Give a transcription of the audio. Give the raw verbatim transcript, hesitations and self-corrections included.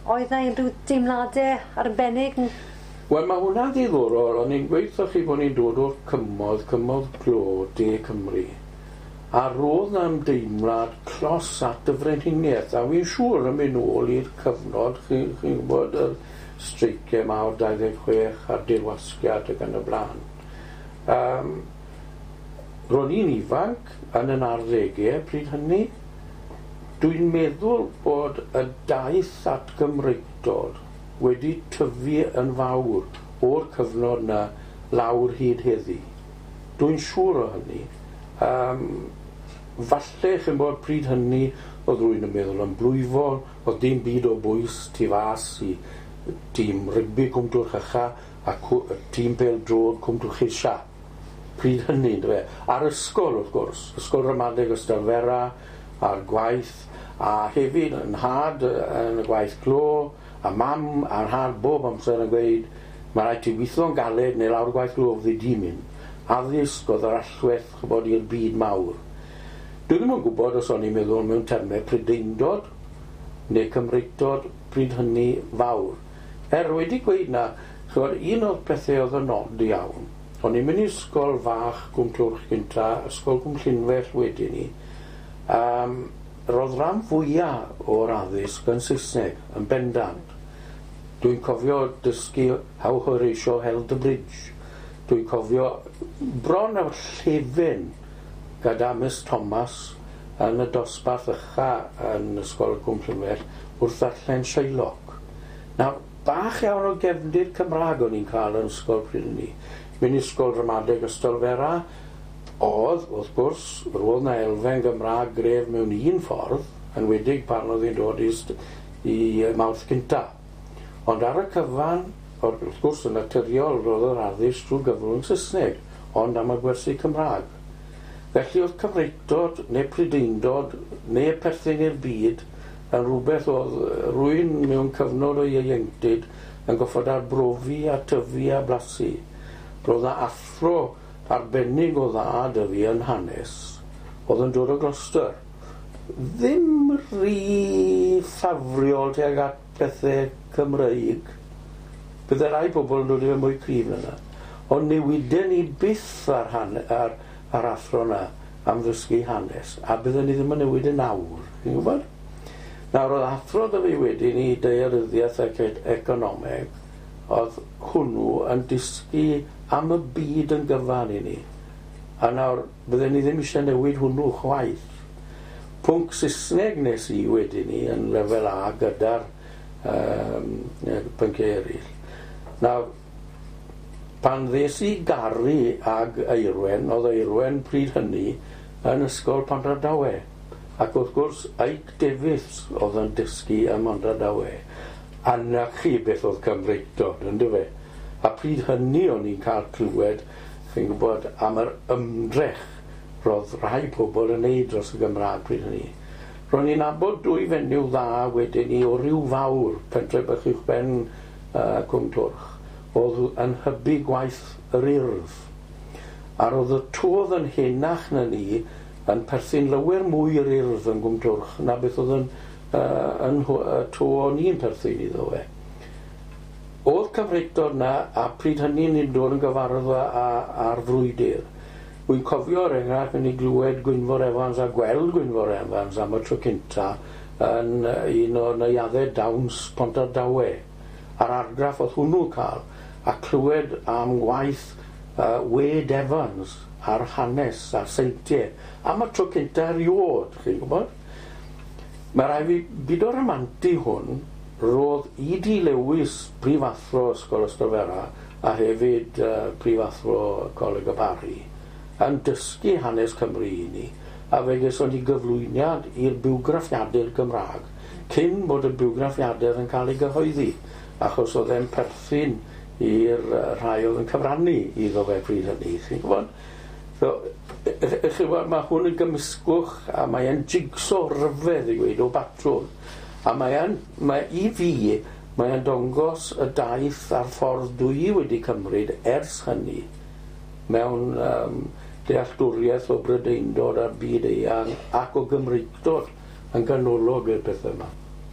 Oedd 'na unrhyw deimladau arbennig? Wel, mae hwnna'n ddiddorol. O'n i'n gweud chi bod ni'n dod o'r cymoedd, cymoedd glo, De Cymru. A roedd 'na ymdeimlad clos at y frenhiniaeth. A fi'n siŵr yn mynd nôl i'r cyfnod, chi'n chi gwybod, y streiciau mawr dau ddeg chwech a'r dirwasgiad ac yn y blaen. Um, ro'n i'n ifanc yn yn arddegau pryd hynny. Dwi'n meddwl bod y daith at Gymreictod wedi tyfu yn fawr o'r cyfnod 'na lawr hyd heddi. Dwi'n siŵr o hynny. Um, falle, chi'n bod, pryd hynny oedd rwy'n yn meddwl yn blwyfol, oedd dim byd o bwys tu fas i tîm rygbi Cwm Twrch Ucha a tîm pêl-droed Cwm Twrch Isa. Pryd hynny, yndyfe? A'r ysgol, wrth gwrs, Ysgol Ramadeg Ystalyfera, a'r gwaith, a hefyd yn nhad yn y gwaith glo, a mam a'r nhad bob amser yn gweud, mae rhaid ti weithio'n galed neu lawr y gwaith glo fyddi di'n mynd. Addysg oedd yr allwedd, ch'bod, i'r byd mawr. Dwi ddim yn gwybod os o'n i'n meddwl mewn termau Prydeindod neu Cymreictod pryd hynny fawr. Er wedi gweud na, ch'bod, un o'r pethau oedd yn od iawn, o'n i'n mynd i ysgol fach Cwm Twrch gynta, ysgol Cwm Llynfell wedyn ni, um, roedd rhan fwyaf o'r addysg yn Saesneg, yn bendant. Dwi'n cofio dysgu How Horatio Held the Bridge. Dwi'n cofio bron â llefen gyda Miss Thomas yn y dosbarth ucha yn Ysgol Cwm Llynfell wrth ddarllen Shylock. Nawr, bach iawn o gefndir Cymraeg o'n i'n cael yn ysgol pryd hynny. Mynd i ysgol ramadeg Ystalyfera, oedd, wrth gwrs, roedd 'na elfen Gymraeg gref mewn un ffordd, yn enwedig pan oedd hi'n dod i, i Mawrth cynta. Ond ar y cyfan, wrth gwrs, yn naturiol, roedd yr addysg drwy gyfrwng Saesneg, ond am y gwersi Cymraeg. Felly oedd Cymreictod neu Prydeindod neu perthyn i'r byd yn rhywbeth oedd rwy'n mewn cyfnod o ieuenctid yn goffod arbrofi a tyfu a blasu. Roedd 'na athro arbennig o dda 'da fi yn hanes, oedd yn dod o Gloucester. Ddim rhy ffafriol tuag at pethau Cymreig. Bydde rai pobl yn dod i fe mwy cryf na 'na. Ond newiden ni byth ar, han, ar, ar athro na am ddysgu hanes, a bydden ni ddim yn newid yn awr, chi'n gwybod? Nawr, oedd athro 'da fi wedyn i daearyddiaeth ac economeg, oedd hwnnw yn dysgu am y byd yn gyfan i ni. A nawr, bydden ni ddim eisiau newid hwnnw chwaith. Pwnc Saesneg nes i wedyn ni yn lefel A gyda'r um, pynciau eraill. Nawr, pan ddes i garu ag Eirwen, oedd Eirwen pryd hynny yn ysgol Pontardawe. Ac wrth gwrs, Ike Davies oedd yn dysgu ym Mhontardawe. A 'na chi beth oedd Cymreictod, yndyfe? A pryd hynny o'n i'n cael clywed, chi'n gwybod, am yr ymdrech roedd rhai pobl yn neud dros y Gymraeg pryd hynny. Ro'n i'n nabod dwy fenyw dda wedyn ni o Ryw Fawr, pentre bach uwchben uh, Cwm Twrch, oedd yn hybu gwaith yr Urdd. A roedd y to oedd yn henach na ni yn perthyn lawer mwy i'r Urdd yn Gwm Twrch na beth oedd yn, uh, yn uh, to o'n i'n perthyn iddo fe. Oedd Cymreictod na, a pryd hynny ni'n dod yn gyfarwydd â'r frwydr. Wy'n cofio er enghraifft mynd i glywed Gwynfor Evans a gweld Gwynfor Evans am y tro cynta yn un o neuaddau dawns Pontardawe. A'r argraff oedd hwnnw cael, a clywed am waith uh, Wade Evans a'r hanes a'r seintiau am y tro cynta erioed, chi'n gwybod? Mae rhaid fi byd o'r ramantu hwn, roedd E D Lewis, prifathro Ysgol Ystalyfera, a hefyd uh, prifathro Coleg y Barri, yn dysgu hanes Cymru i ni, a fe geson ni gyflwyniad i'r bywgraffiadur Gymraeg, cyn bod y bywgraffiadur yn cael ei gyhoeddi, achos oedd e'n perthyn i'r rhai oedd yn cyfrannu iddo fe pryd hynny, chi'n gwybod? So, chi'n gwybod, mae hwn yn gymysgwch, a mae e'n jigsaw ryfedd i gweud o batrwm. A mae e'n, mae i fi, mae e'n dangos y daith a'r ffordd dwi wedi cymryd ers hynny mewn um, dealltwriaeth o Brydeindod a'r byd eang ac o Gymreictod yn ganolog i'r pethau yma.